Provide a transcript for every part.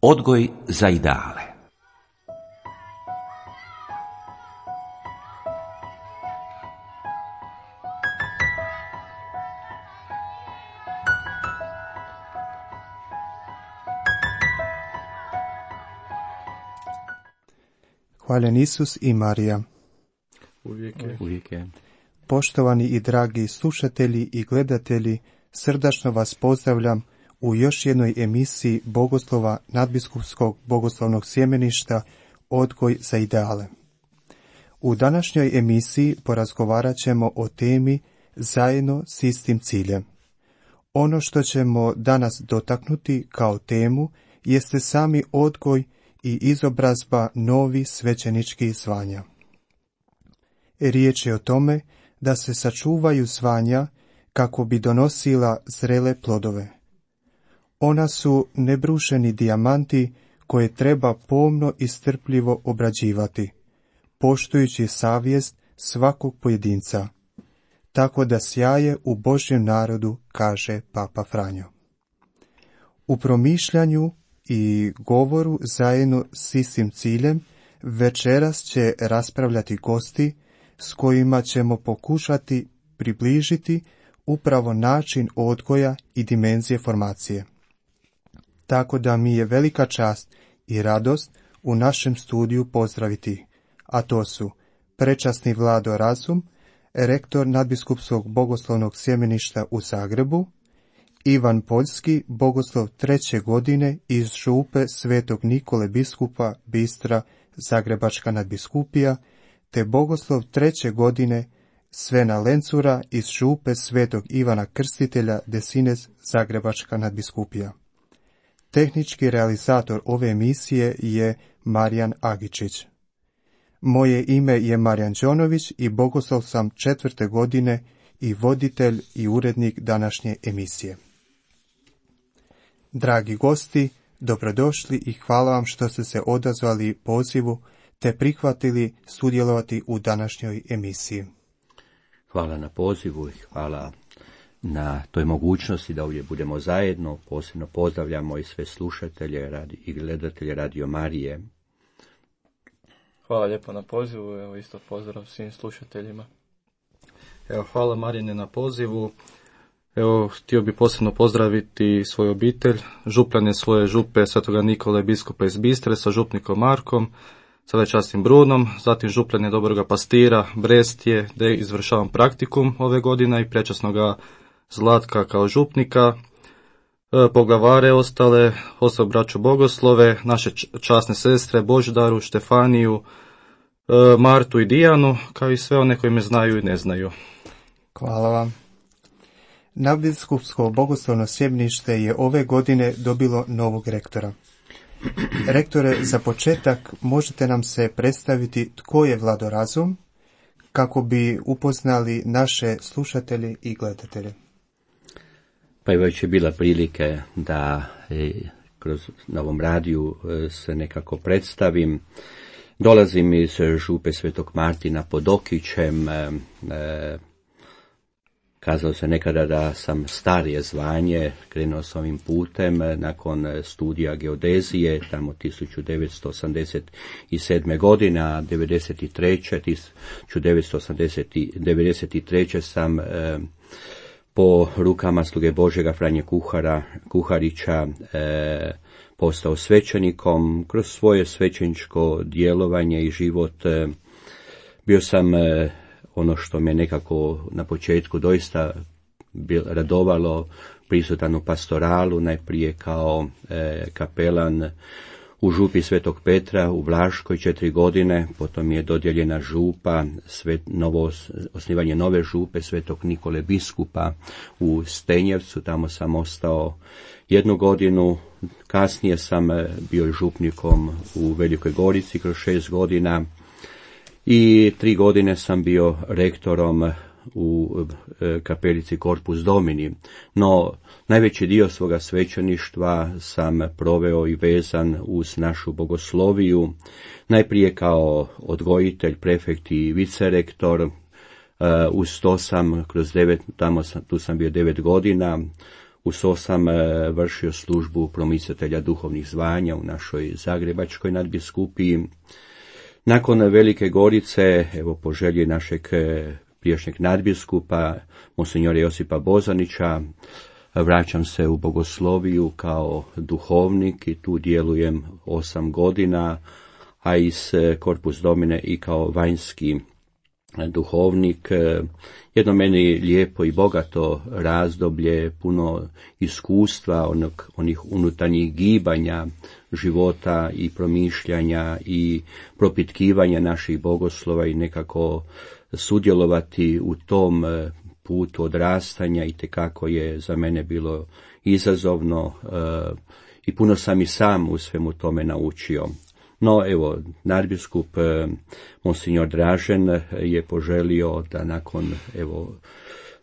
Odgoj za ideale. Hvaljen Isus i Marija. Uvijek je. Poštovani i dragi slušatelji i gledatelji, srdačno vas pozdravljam u još jednoj emisiji Bogoslova Nadbiskupskog bogoslovnog sjemeništa Odgoj za ideale. U današnjoj emisiji porazgovarat ćemo o temi Zajedno s istim ciljem. Ono što ćemo danas dotaknuti kao temu jeste sami odgoj i izobrazba novih svećeničkih zvanja. Riječ je o tome da se sačuvaju zvanja kako bi donosila zrele plodove. Ona su nebrušeni dijamanti koje treba pomno i strpljivo obrađivati, poštujući savjest svakog pojedinca, tako da sjaje u Božjem narodu, kaže Papa Franjo. U promišljanju i govoru zajedno s istim ciljem večeras će raspravljati gosti s kojima ćemo pokušati približiti upravo način odgoja i dimenzije formacije. Tako da mi je velika čast i radost u našem studiju pozdraviti, a to su prečasni Vlado Razum, rektor Nadbiskupskog bogoslovnog sjemeništa u Zagrebu, Ivan Poljski, bogoslov 3. godine iz župe Svetog Nikole biskupa Bistra, Zagrebačka nadbiskupija, te bogoslov 3. godine Svena Lencura iz župe Svetog Ivana Krstitelja Desines, Zagrebačka nadbiskupija. Tehnički realizator ove emisije je Marijan Agičić. Moje ime je Marijan Đonović i bogoslov sam 4. godine i voditelj i urednik današnje emisije. Dragi gosti, dobrodošli i hvala vam što ste se odazvali pozivu te prihvatili sudjelovati u današnjoj emisiji. Hvala na pozivu i hvala na toj mogućnosti da ovdje budemo zajedno. Posebno pozdravljamo i sve slušatelje i gledatelje Radio Marije. Hvala lijepo na pozivu, evo isto pozdrav svim slušateljima. Evo, hvala Marijane na pozivu. Evo, htio bih posebno pozdraviti svoju obitelj, župljane svoje župe Svetoga Nikole biskupa iz Bistre sa župnikom Markom, sa večastim Brunom, zatim župljane Dobroga Pastira, Brestje, gdje izvršavam praktikum ove godine i prečasnoga Zlatka kao župnika, poglavare ostale braću bogoslove, naše časne sestre Božidaru, Štefaniju, Martu i Dijanu, kao i sve one koji me znaju i ne znaju. Hvala vam. Nadbiskupsko bogoslovno sjemenište je ove godine dobilo novog rektora. Rektore, za početak možete nam se predstaviti tko je Vlado Razum, kako bi upoznali naše slušatelje i gledatelje. Pa je već bila prilike da kroz Novom radiju se nekako predstavim. Dolazim iz župe Svetog Martina pod Okićem. Kazalo se nekada da sam starije zvanje, krenuo sam ovim putem nakon studija geodezije, tamo 1987. godine, a 1993. sam po rukama sluge Božjega Franje Kuharića postao svećenikom. Kroz svoje svećeničko djelovanje i život bio sam ono što me nekako na početku doista radovalo, prisutan u pastoralu, najprije kao kapelan u župi Svetog Petra u Vlaškoj 4 godine, potom je dodijeljena župa, osnivanje nove župe Svetog Nikole biskupa u Stenjevcu, tamo sam ostao 1 godinu, kasnije sam bio župnikom u Velikoj Gorici kroz 6 godina, i 3 godine sam bio rektorom u kapelici Corpus Domini, no najveći dio svoga svećeništva sam proveo i vezan uz našu bogosloviju, najprije kao odgojitelj, prefekt i vicerektor. Uz to sam tu sam bio 9 godina Uz to sam vršio službu promicatelja duhovnih zvanja u našoj zagrebačkoj nadbiskupiji. Nakon Velike Gorice, evo po želji našeg prijašnjeg nadbiskupa, monsignora Josipa Bozanića, vraćam se u bogosloviju kao duhovnik i tu djelujem 8 godina, a iz Corpus Domine i kao vanjski duhovnik. Jedno meni lijepo i bogato razdoblje, puno iskustva, onih unutarnjih gibanja života i promišljanja i propitkivanja naših bogoslova i nekako sudjelovati u tom putu odrastanja itekako je za mene bilo izazovno i puno sam i sam u svemu tome naučio. No, evo, nadbiskup monsignor Dražen je poželio da nakon,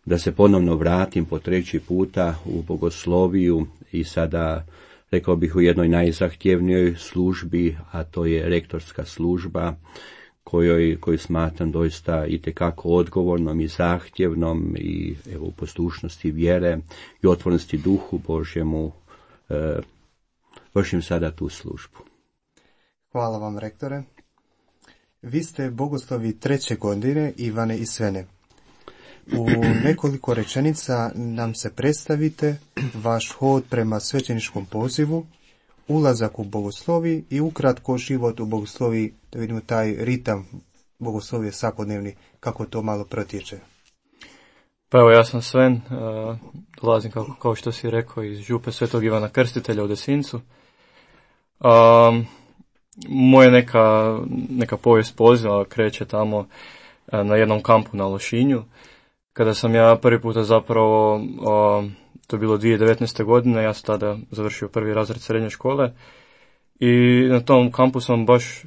da se ponovno vratim po 3. puta u bogosloviju i sada, rekao bih, u jednoj najzahtjevnijoj službi, a to je rektorska služba, koju smatram doista itekako odgovornom i zahtjevnom i u poslušnosti vjere i otvorenosti duhu Božjemu vršim sada tu službu. Hvala vam, rektore. Vi ste bogoslovi 3. godine Ivane i Svene. U nekoliko rečenica nam se predstavite vaš hod prema svećeničkom pozivu, ulazak u bogoslovi i ukratko život u bogoslovi, da vidimo taj ritam bogoslovije svakodnevni, kako to malo protječe. Pa evo, ja sam Sven, dolazim kao što si rekao iz župe Svetog Ivana Krstitelja u Desincu. Moja neka povijest poziva kreće tamo na jednom kampu na Lošinju, kada sam ja prvi puta zapravo, to je bilo 2019. godine, ja sam tada završio 1. razred srednje škole i na tom kampu sam baš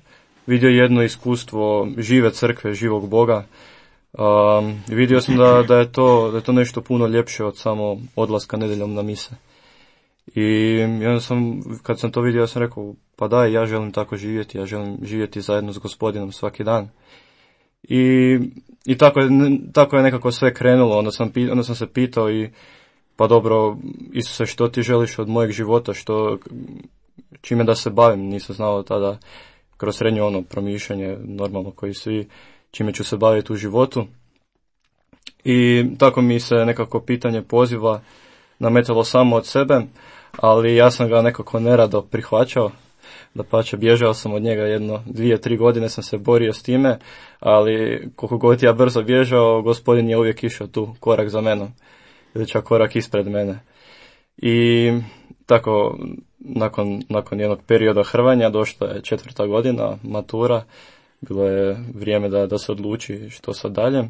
vidio jedno iskustvo žive crkve, živog Boga. Vidio sam da je to nešto puno ljepše od samo odlaska nedjeljom na mise. I onda kad sam to vidio, ja sam rekao, pa daj, ja želim tako živjeti, ja želim živjeti zajedno s Gospodinom svaki dan. I tako je nekako sve krenulo, onda sam se pitao i pa dobro, Isuse, što ti želiš od mojeg života, čime da se bavim, nisam znao tada kroz srednje promišljanje, normalno koji svi, čime ću se baviti u životu. I tako mi se nekako pitanje poziva nametalo samo od sebe, ali ja sam ga nekako nerado prihvaćao. Dapače, bježao sam od njega 2-3 godine sam se borio s time, ali koliko god ja brzo bježao, Gospodin je uvijek išao tu korak za menom, ili čak korak ispred mene. I tako, nakon jednog perioda hrvanja, došla je 4. godina, matura, bilo je vrijeme da se odluči što sad dalje.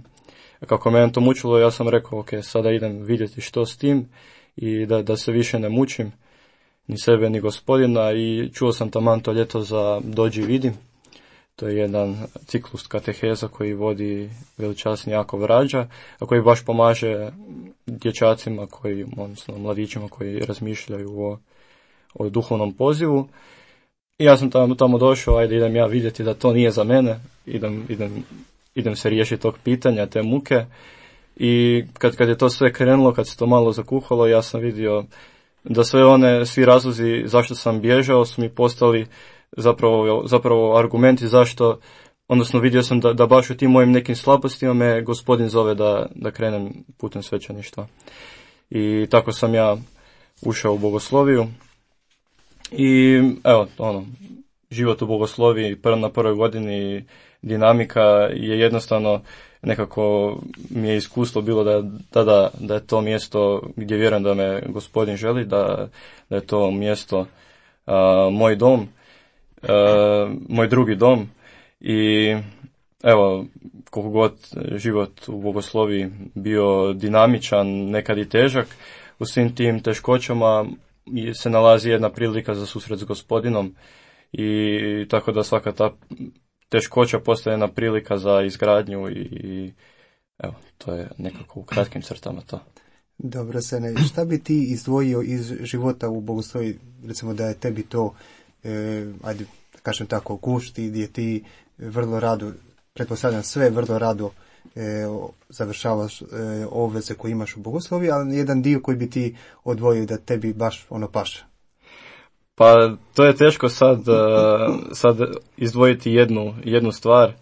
Kako mene to mučilo, ja sam rekao, ok, sada idem vidjeti što s tim i da se više ne mučim, ni sebe, ni Gospodina, i čuo sam taman to ljeto za Dođi vidi. To je jedan ciklus kateheza koji vodi veličasni Jakov Rađa, a koji baš pomaže dječacima, odnosno mladićima koji razmišljaju o duhovnom pozivu. I ja sam tamo došao, ajde idem ja vidjeti da to nije za mene, idem se riješiti tog pitanja, te muke. I kad je to sve krenulo, kad se to malo zakuhalo, ja sam vidio da svi razlozi zašto sam bježao su mi postali zapravo argumenti zašto, odnosno vidio sam da baš u tim mojim nekim slabostima me Gospodin zove da krenem putem svećeništva. I tako sam ja ušao u bogosloviju i evo, život u bogosloviji na prvoj godini, dinamika je jednostavno, nekako mi je iskustvo bilo da je to mjesto gdje vjerujem da me Gospodin želi, da je to mjesto moj dom, moj drugi dom. I evo, koliko god život u bogosloviji bio dinamičan, nekad i težak, u svim tim teškoćama se nalazi jedna prilika za susret s Gospodinom, i tako da svaka ta teškoća postaje jedna prilika za izgradnju i evo, to je nekako u kratkim crtama to. Dobro, Sene, šta bi ti izdvojio iz života u bogoslovi, recimo da je tebi to, ajde da kažem tako, gušti, gdje ti vrlo rado, pretpostavljam sve vrlo rado završavaš obveze koje imaš u bogosloviji, ali jedan dio koji bi ti odvojio da tebi baš paše? Pa to je teško sad izdvojiti jednu stvar,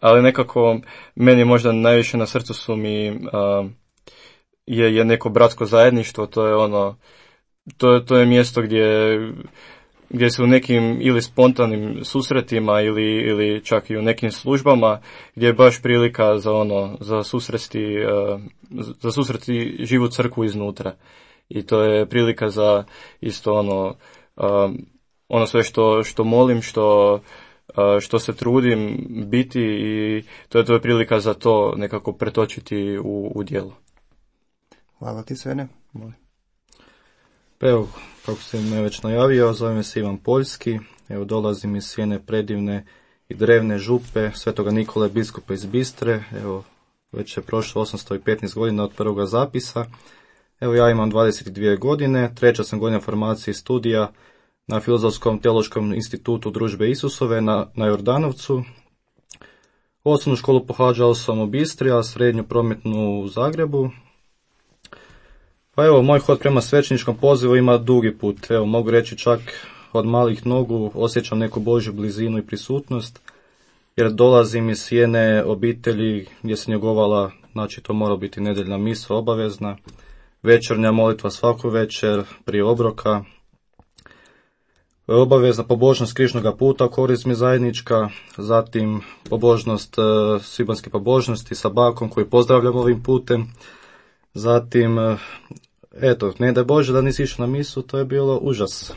ali nekako meni možda najviše na srcu su mi je neko bratsko zajedništvo. To je to je mjesto gdje se u nekim ili spontanim susretima ili čak i u nekim službama gdje je baš prilika za susreti živu crkvu iznutra. I to je prilika za isto ono sve što molim, što se trudim biti, i to je prilika za to nekako pretočiti u djelo. Hvala ti, Svene. Pa evo, kako sam me već najavio, zovem se Ivan Poljski. Evo, dolazim iz sjene predivne i drevne župe Svetoga Nikole biskupa iz Bistre. Evo, već je prošlo 815 godina od prvoga zapisa. Evo, ja imam 22 godine, treća sam godina formacije i studija na Filozofskom teološkom institutu Družbe Isusove na Jordanovcu. Osnovnu školu pohađao sam u Bistri, a srednju prometnu u Zagrebu. Pa evo, moj hod prema svećeničkom pozivu ima dugi put. Evo, mogu reći čak od malih nogu osjećam neku Božju blizinu i prisutnost, jer dolazim iz sjene obitelji gdje se njegovala, znači to mora biti nedeljna misa obavezna, večernja molitva svaku večer prije obroka, obavezna pobožnost Križnoga puta u korizmi zajednička, zatim pobožnost svibanjske pobožnosti sa bakom koju pozdravljam ovim putem, zatim, eto, ne daj Bože da nisi išao na misu, to je bilo užas.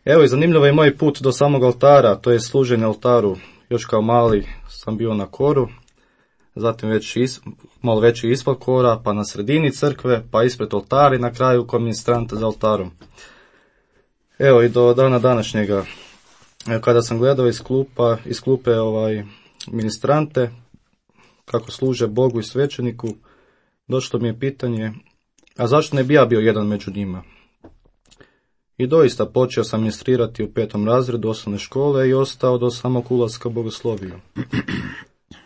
Evo, i zanimljivo je moj put do samog oltara, to je služenje oltaru. Još kao mali sam bio na koru, zatim malo veći ispod kora, pa na sredini crkve, pa ispred oltara i na kraju ko ministrant za oltarom. Evo, i do dana današnjega, kada sam gledao iz klupe ministrante, kako služe Bogu i svećeniku, došlo mi je pitanje, a zašto ne bi ja bio jedan među njima? I doista počeo sam ministrirati u 5. razredu osnovne škole i ostao do samog ulaska u bogosloviju.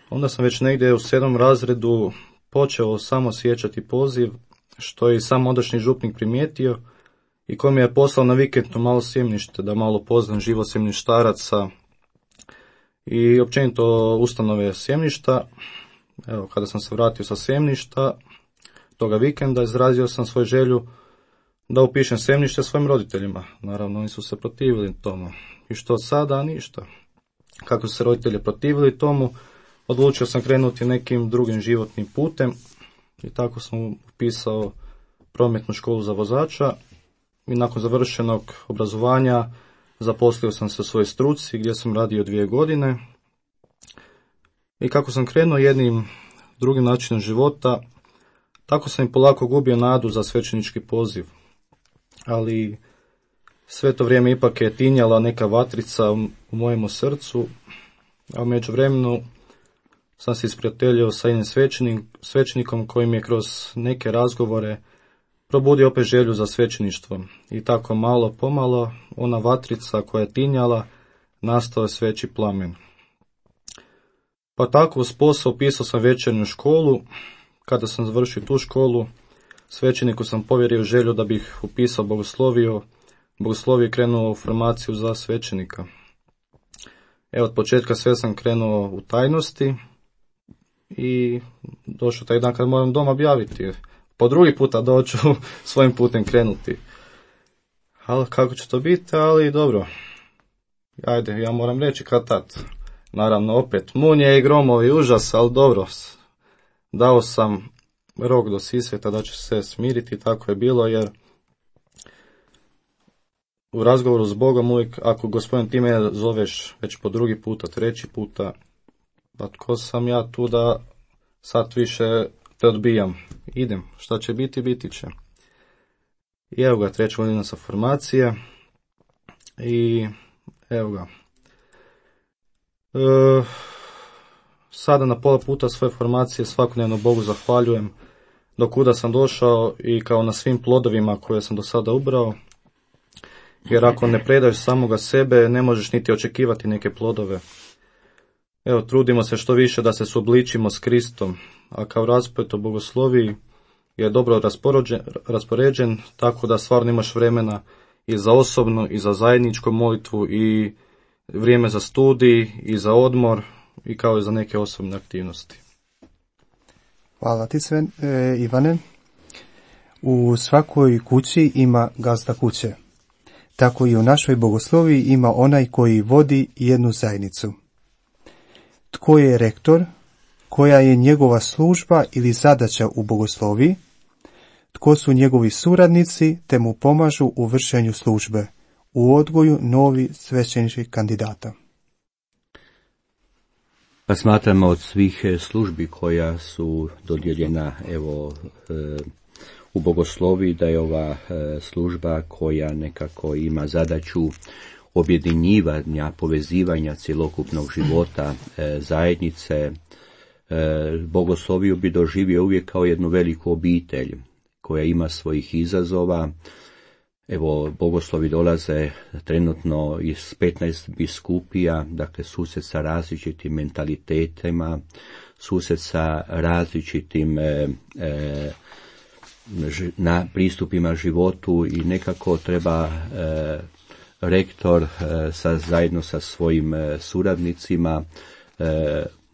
Onda sam već negdje u 7. razredu počeo samo sjećati poziv, što je i sam ondašnji župnik primijetio i koji mi je poslao na vikend malo sjemnište, da malo poznam život sjemništaraca i općenito ustanove sjemništa. Evo, kada sam se vratio sa sjemništa toga vikenda, izrazio sam svoju želju da upišem sjemnište svojim roditeljima. Naravno, oni su se protivili tomu. I što sada? Ništa. Kako su se roditelji protivili tomu, odlučio sam krenuti nekim drugim životnim putem i tako sam upisao prometnu školu za vozača i nakon završenog obrazovanja zaposlio sam se u svojoj struci gdje sam radio 2 godine. I kako sam krenuo jednim drugim načinom života, tako sam i polako gubio nadu za svećenički poziv. Ali sve to vrijeme ipak je tinjala neka vatrica u mojemu srcu, a u međuvremenu sam se isprijateljio sa jednim svećenikom koji mi je kroz neke razgovore probudio opet želju za svećeništvo. I tako malo pomalo ona vatrica koja je tinjala nastao je sveći plamen. Pa tako uz posao upisao sam večernju školu. Kada sam završio tu školu, svećeniku sam povjerio želju da bih upisao bogosloviju i krenuo u formaciju za svećenika. Evo, od početka sve sam krenuo u tajnosti i došao taj dan kad moram doma objaviti. Po drugi puta doću svojim putem krenuti. Ali kako će to biti, ali dobro. Ajde, ja moram reći kad tad. Naravno, opet, munje i gromovi, užas, ali dobro. Dao sam rok do Sisveta da će se smiriti, tako je bilo, jer u razgovoru s Bogom uvijek, ako Gospodin ti me zoveš već po drugi puta, treći puta, pa tko sam ja tu da sad više te odbijam. Idem, šta će biti, biti će. I evo ga, 3. godina sa formacije i evo ga. Sada na pola puta svoje formacije svakodnevno Bogu zahvaljujem do kuda sam došao i kao na svim plodovima koje sam do sada ubrao, jer ako ne predaješ samoga sebe ne možeš niti očekivati neke plodove. Evo, trudimo se što više da se suobličimo s Kristom, a kao rasplet o bogosloviji je dobro raspoređen, tako da stvarno imaš vremena i za osobnu, i za zajedničku molitvu, i vrijeme za studij, i za odmor, i kao i za neke osobne aktivnosti. Hvala ti sve, Ivane. U svakoj kući ima gazda kuće. Tako i u našoj bogosloviji ima onaj koji vodi jednu zajednicu. Tko je rektor? Koja je njegova služba ili zadaća u bogosloviji? Tko su njegovi suradnici te mu pomažu u vršenju službe, u odgoju novi svećeničkih kandidata? Pa smatramo od svih službi koja su dodijeljena u bogosloviji da je ova služba koja nekako ima zadaću objedinjivanja, povezivanja cjelokupnog života zajednice. Bogosloviju bi doživio uvijek kao jednu veliku obitelj koja ima svojih izazova. Evo, bogoslovi dolaze trenutno iz 15 biskupija, dakle sused sa različitim mentalitetima, sused sa različitim pristupima životu i nekako treba rektor zajedno sa svojim suradnicima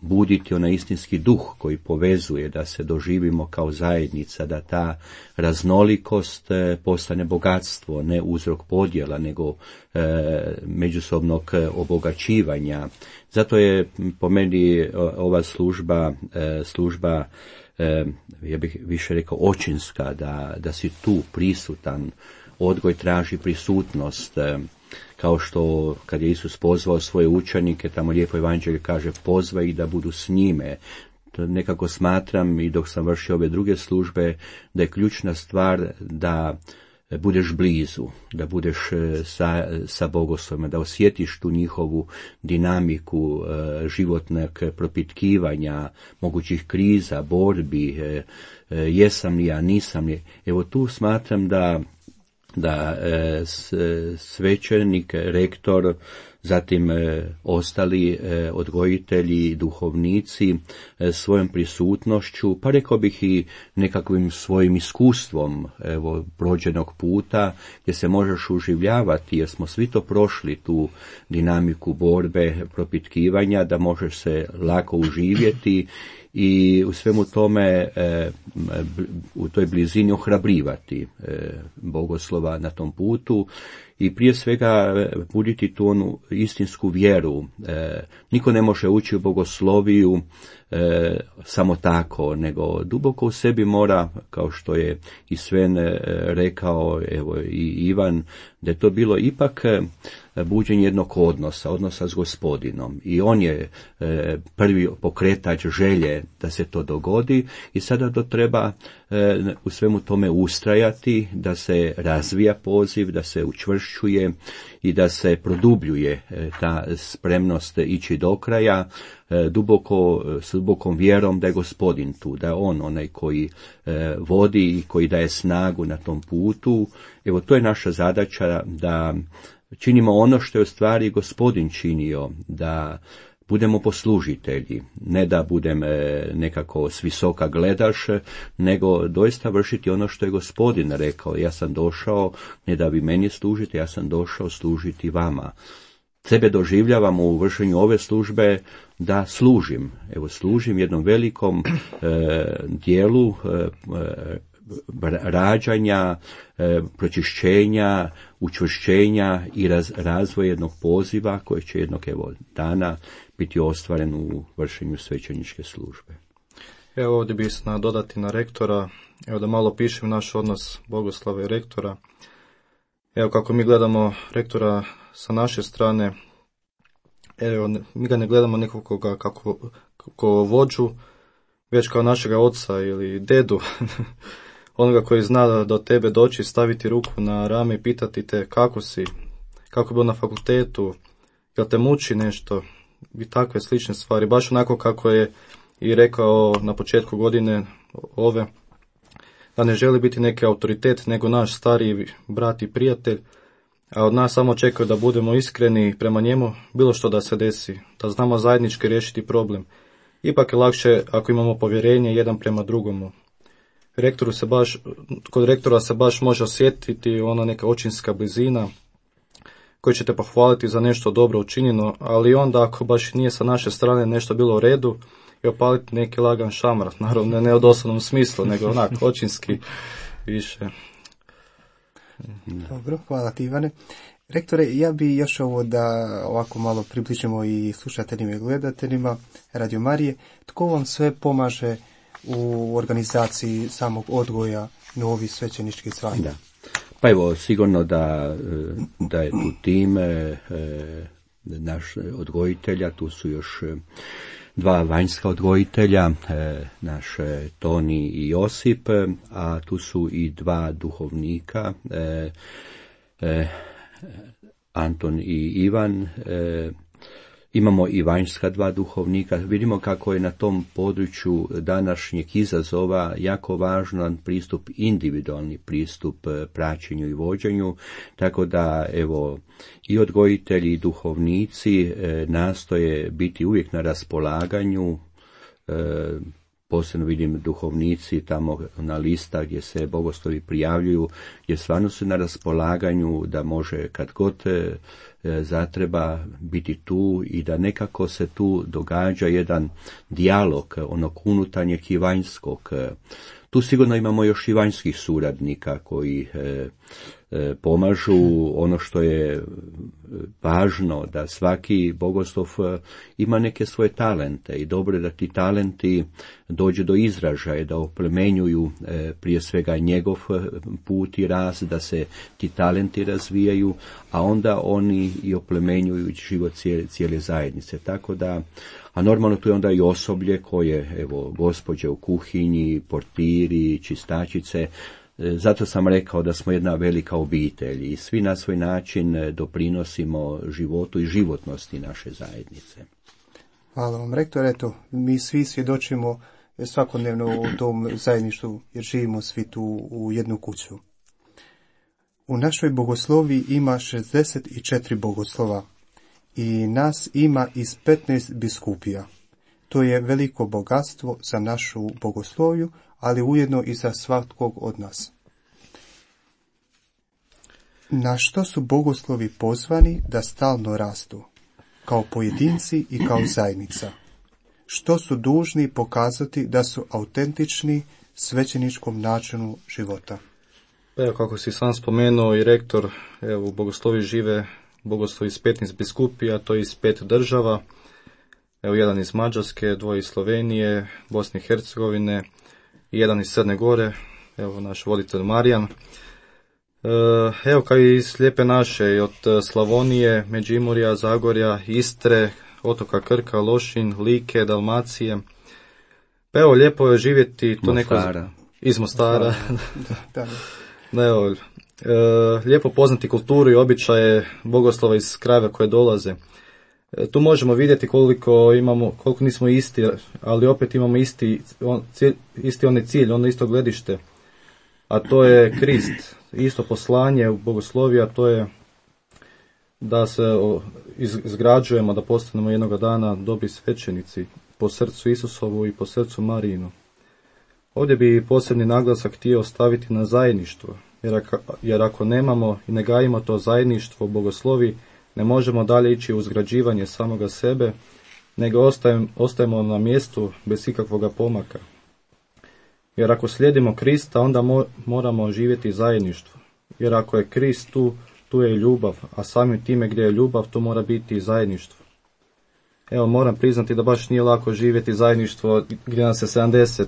buditi onaj istinski duh koji povezuje, da se doživimo kao zajednica, da ta raznolikost postane bogatstvo, ne uzrok podjela, nego međusobnog obogaćivanja. Zato je po meni ova služba ja bih više rekao očinska, da si tu prisutan. Odgoj traži prisutnost, kao što kad je Isus pozvao svoje učenike, tamo lijepo evanđelje kaže pozva ih da budu s njime. To nekako smatram i dok sam vršio ove druge službe da je ključna stvar da budeš blizu, da budeš sa bogoslovima, da osjetiš tu njihovu dinamiku životnog propitkivanja, mogućih kriza, borbi, jesam li ja, nisam li. Evo tu smatram da svećenik, rektor, zatim ostali odgojitelji, duhovnici svojom prisutnošću, pa rekao bih i nekakvim svojim iskustvom prođenog puta, gdje se možeš uživljavati, jer smo svi to prošli, tu dinamiku borbe, propitkivanja, da možeš se lako uživjeti i u svemu tome u toj blizini ohrabrivati bogoslova na tom putu i prije svega buditi tu onu istinsku vjeru. Niko ne može ući u bogosloviju samo tako, nego duboko u sebi mora, kao što je i Sven rekao, evo i Ivan, da je to bilo ipak buđenje jednog odnosa s Gospodinom. I on je prvi pokretač želje da se to dogodi i sada to treba u svemu tome ustrajati, da se razvija poziv, da se učvršćuje i da se produbljuje ta spremnost ići do kraja, s dubokom vjerom da je Gospodin tu, da je on onaj koji vodi i koji daje snagu na tom putu. Evo, to je naša zadaća, da činimo ono što je u stvari Gospodin činio, da budemo poslužitelji, ne da budem nekako s visoka gledaš, nego doista vršiti ono što je Gospodin rekao. Ja sam došao ne da vi meni služite, ja sam došao služiti vama. Sebe doživljavam u vršenju ove službe da služim. Evo, služim jednom velikom dijelu rađanja, pročišćenja, učvršćenja i razvoja jednog poziva koji će jednog dana biti ostvaren u vršenju svećeničke službe. Evo ovdje bih se dodati na rektora, evo da malo pišem naš odnos bogoslava i rektora. Evo kako mi gledamo rektora sa naše strane, evo mi ga ne gledamo nekoga kako vođu, već kao našega oca ili dedu, onoga koji zna da do tebe doći, staviti ruku na rame i pitati te kako si, kako je bilo na fakultetu, jel te muči nešto i takve slične stvari. Baš onako kako je i rekao na početku godine ove, da ne želi biti neki autoritet, nego naš stariji brat i prijatelj, a od nas samo čekaju da budemo iskreni prema njemu, bilo što da se desi, da znamo zajednički riješiti problem. Ipak je lakše ako imamo povjerenje jedan prema drugomu. Kod rektora se baš može osjetiti ona neka očinska blizina koji će te pohvaliti za nešto dobro učinjeno, ali onda ako baš nije sa naše strane nešto bilo u redu i opaliti neki lagan šamar, naravno ne u doslovnom smislu, nego onak očinski više. Dobro, hvala ti Ivane. Rektore, ja bi još ovo da ovako malo približimo i slušateljima i gledateljima Radio Marije. Tko vam sve pomaže u organizaciji samog odgoja novih svećeničkih zvanja? Da. Pa evo, sigurno da je tu tim naš odgojitelja, tu su još dva vanjska odgojitelja, naš Toni i Josip, a tu su i dva duhovnika, Anton i Ivan. Imamo i vanjska dva duhovnika. Vidimo kako je na tom području današnjeg izazova jako važan pristup, individualni pristup praćenju i vođenju, tako da evo i odgojitelji i duhovnici nastoje biti uvijek na raspolaganju. Posebno vidim duhovnici tamo na lista gdje se bogoslovi prijavljuju, gdje stvarno su na raspolaganju da može kad god zatreba biti tu i da nekako se tu događa jedan dijalog onog unutarnjeg i vanjskog. Tu sigurno imamo još i vanjskih suradnika koji pomažu. Ono što je važno da svaki bogoslov ima neke svoje talente i dobro je da ti talenti dođu do izražaja, da oplemenjuju prije svega njegov put i rast, da se ti talenti razvijaju, a onda oni i oplemenjuju život cijele zajednice. Tako da, a normalno tu je onda i osoblje koje, evo, gospođe u kuhinji, portiri, čistačice. Zato sam rekao da smo jedna velika obitelj i svi na svoj način doprinosimo životu i životnosti naše zajednice. Hvala vam, rektor. Eto, mi svi svjedočimo svakodnevno u tom zajedništvu jer živimo svi tu u jednu kuću. U našoj bogoslovi ima 64 bogoslova i nas ima iz 15 biskupija. To je veliko bogatstvo za našu bogosloviju, ali ujedno i za svakog od nas. Na što su bogoslovi pozvani da stalno rastu, kao pojedinci i kao zajednica? Što su dužni pokazati da su autentični svećeničkom načinu života? Evo, kako si sam spomenuo i rektor, evo, u bogoslovi žive bogoslovi iz 15 biskupija, to je iz 5 država. Evo, jedan iz Mađarske, dvoje iz Slovenije, Bosne i Hercegovine i jedan iz Crne Gore, evo naš voditelj Marijan. Evo, kao i iz Lijepe naše, i od Slavonije, Međimurja, Zagorja, Istre, otoka Krka, Lošinj, Like, Dalmacije. Pa evo, lijepo je živjeti to Mostara. neko iz Mostara. Da. Evo, lijepo poznati kulturu i običaje bogoslova iz krajeva koje dolaze. Tu možemo vidjeti koliko nismo isti, ali opet imamo isti onaj cilj, ono isto gledište, a to je Krist, isto poslanje u bogosloviji, a to je da se izgrađujemo, da postanemo jednoga dana dobri svećenici po srcu Isusovu i po srcu Marijinu. Ovdje bi posebni naglasak htio staviti na zajedništvo, jer ako nemamo i ne gajimo to zajedništvo u bogoslovi, ne možemo dalje ići u izgrađivanje samoga sebe, nego ostajemo na mjestu bez ikakvoga pomaka. Jer ako slijedimo Krista, onda moramo živjeti zajedništvo. Jer ako je Krist tu je ljubav, a samim time gdje je ljubav, tu mora biti i zajedništvo. Evo, moram priznati da baš nije lako živjeti zajedništvo gdje nas je 70.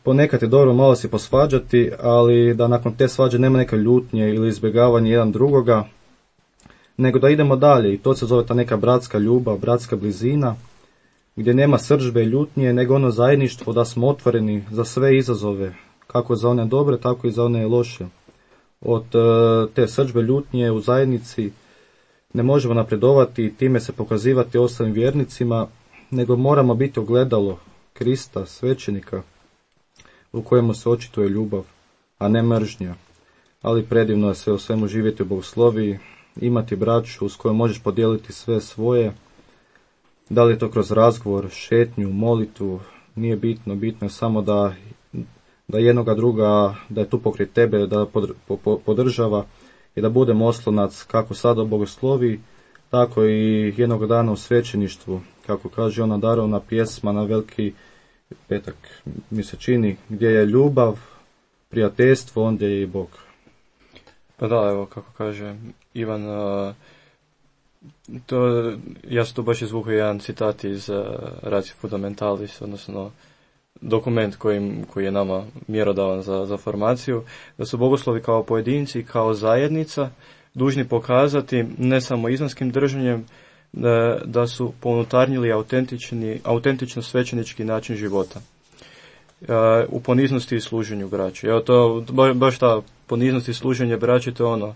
Ponekad je dobro malo se posvađati, ali da nakon te svađe nema neke ljutnje ili izbjegavanje jedan drugoga, nego da idemo dalje i to se zove ta neka bratska ljubav, bratska blizina, gdje nema srdžbe i ljutnje, nego ono zajedništvo da smo otvoreni za sve izazove, kako za one dobre, tako i za one loše. Od te srdžbe ljutnje u zajednici ne možemo napredovati i time se pokazivati ostalim vjernicima, nego moramo biti ogledalo Krista, svećenika, u kojemu se očituje ljubav, a ne mržnja. Ali predivno je sve u svemu živjeti u bogosloviji imati braću s kojom možeš podijeliti sve svoje, da li je to kroz razgovor, šetnju, molitvu, nije bitno, bitno je samo da jednoga druga, da je tu pokraj tebe, da podržava i da budemo oslonac kako sada bogoslovi, tako i jednog dana u svećeništvu, kako kaže ona darovna pjesma na Veliki petak, mi se čini, gdje je ljubav, prijateljstvo, onda je i Bog. Pa da, evo, kako kaže Ivan, ja sam tu baš izvukao jedan citat iz Ratio Fundamentalis, odnosno dokument koji je nama mjerodavan za formaciju, da su bogoslovi kao pojedinci, kao zajednica dužni pokazati ne samo izvanskim držanjem da su pounutarnjili autentično svećenički način života. U poniznosti i služenju braći. Evo to, baš ta poniznost i služenje braći, to je ono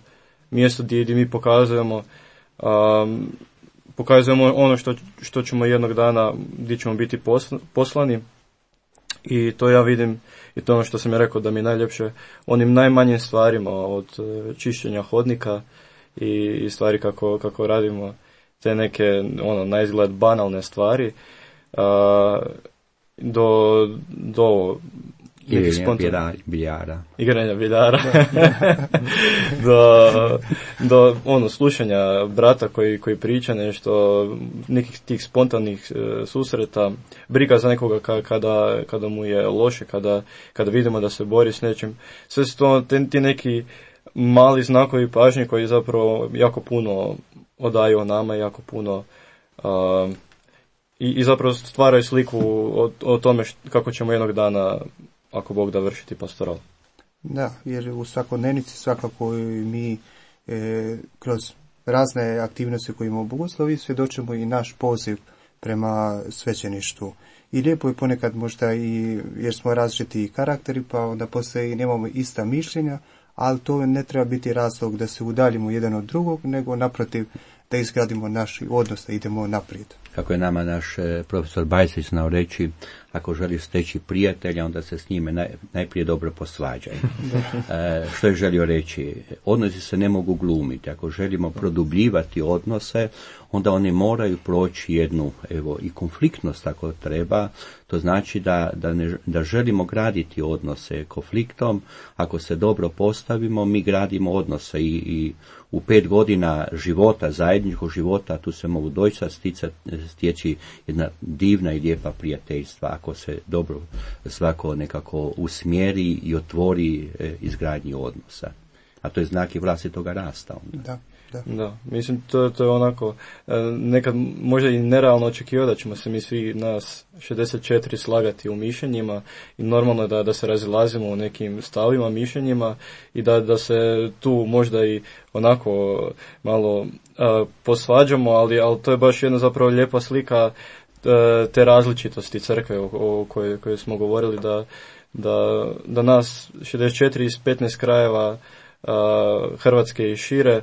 mjesto gdje mi pokazujemo ono što ćemo jednog dana, gdje ćemo biti poslani. I to ja vidim, i to ono što sam ja rekao da mi je najljepše, onim najmanjim stvarima, od čišćenja hodnika i stvari kako radimo te neke na izgled banalne stvari, do igranja biljara do slušanja brata koji priča nešto, nekih tih spontanih susreta, briga za nekoga kada mu je loše, kada vidimo da se bori s nečim. Sve su to ti neki mali znakovi pažnje koji zapravo jako puno odaju o nama, jako puno i zapravo stvaraju sliku o tome kako ćemo jednog dana, ako Bog da, vršiti pastoral. Da, jer u svakodnevnici svakako mi kroz razne aktivnosti koje imamo u bogoslovi svjedočimo i naš poziv prema svećeništvu. I lijepo je ponekad možda i jer smo različiti karakteri, pa onda poslije i nemamo ista mišljenja, ali to ne treba biti razlog da se udaljimo jedan od drugog, nego naprotiv da izgradimo naš odnos, da idemo naprijed. Kako je nama naš profesor Bajsić znao reći, ako želiš steći prijatelja, onda se s njime najprije dobro posvađaj. Što je želio reći? Odnosi se ne mogu glumiti. Ako želimo produbljivati odnose, onda oni moraju proći jednu i konfliktnost ako treba. To znači da želimo graditi odnose konfliktom. Ako se dobro postavimo, mi gradimo odnose i u 5 godina života, zajedničkog života, tu se mogu doista stječi jedna divna i lijepa prijateljstva, ako se dobro svako nekako usmjeri i otvori izgradnji odnosa. A to je znak i vlastitoga rasta. Da, mislim to je onako nekad možda i nerealno očekivati da ćemo se mi svi nas 64 slagati u mišljenjima i normalno je da se razilazimo u nekim stavima, mišljenjima i da se tu možda i onako malo posvađamo, ali to je baš jedna zapravo lijepa slika te različitosti crkve o kojoj smo govorili, da nas 64 iz 15 krajeva Hrvatske i šire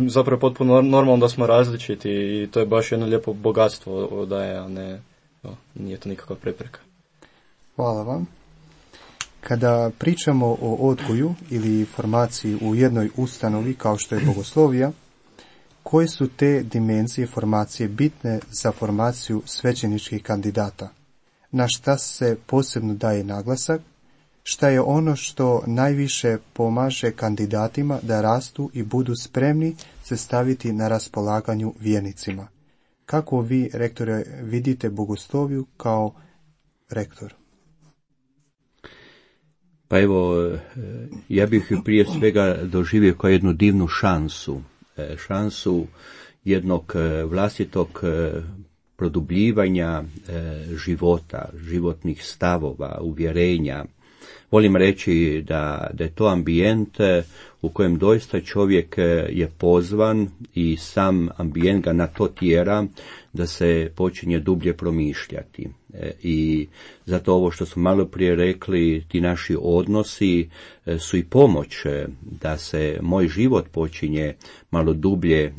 zapravo je potpuno normalno da smo različiti i to je baš jedno lijepo bogatstvo odaje, a ne, nije to nikakva prepreka. Hvala vam. Kada pričamo o odgoju ili formaciji u jednoj ustanovi kao što je bogoslovija, koje su te dimenzije formacije bitne za formaciju svećeničkih kandidata? Na šta se posebno daje naglasak? Šta je ono što najviše pomaže kandidatima da rastu i budu spremni se staviti na raspolaganju vjernicima? Kako vi, rektore, vidite bogosloviju kao rektor? Pa evo, ja bih ju prije svega doživio kao jednu divnu šansu jednog vlastitog produbljivanja života, životnih stavova, uvjerenja. Volim reći da je to ambijent u kojem doista čovjek je pozvan i sam ambijent ga na to tjera da se počinje dublje promišljati. I zato ovo što smo malo prije rekli, ti naši odnosi su i pomoć da se moj život počinje malo dublje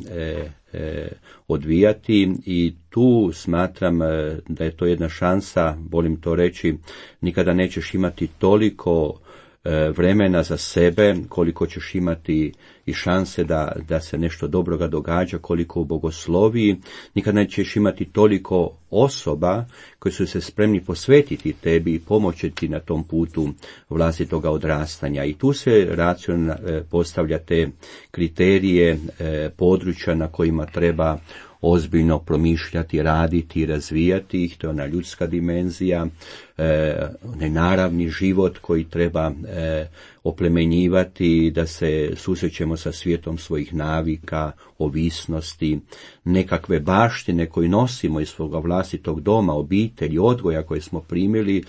odvijati i tu smatram da je to jedna šansa, volim to reći, nikada nećeš imati toliko vremena za sebe koliko ćeš imati i šanse da se nešto dobroga događa koliko u bogosloviji. Nikad nećeš imati toliko osoba koji su se spremni posvetiti tebi i pomoći ti na tom putu vlastitoga odrastanja. I tu se racionalno postavlja te kriterije, područja na kojima treba ozbiljno promišljati, raditi, razvijati ih, to je ona ljudska dimenzija, nenaravni život koji treba oplemenjivati, da se susrećemo sa svijetom svojih navika, ovisnosti, nekakve baštine koje nosimo iz svoga vlastitog doma, obitelji, odgoja koje smo primili,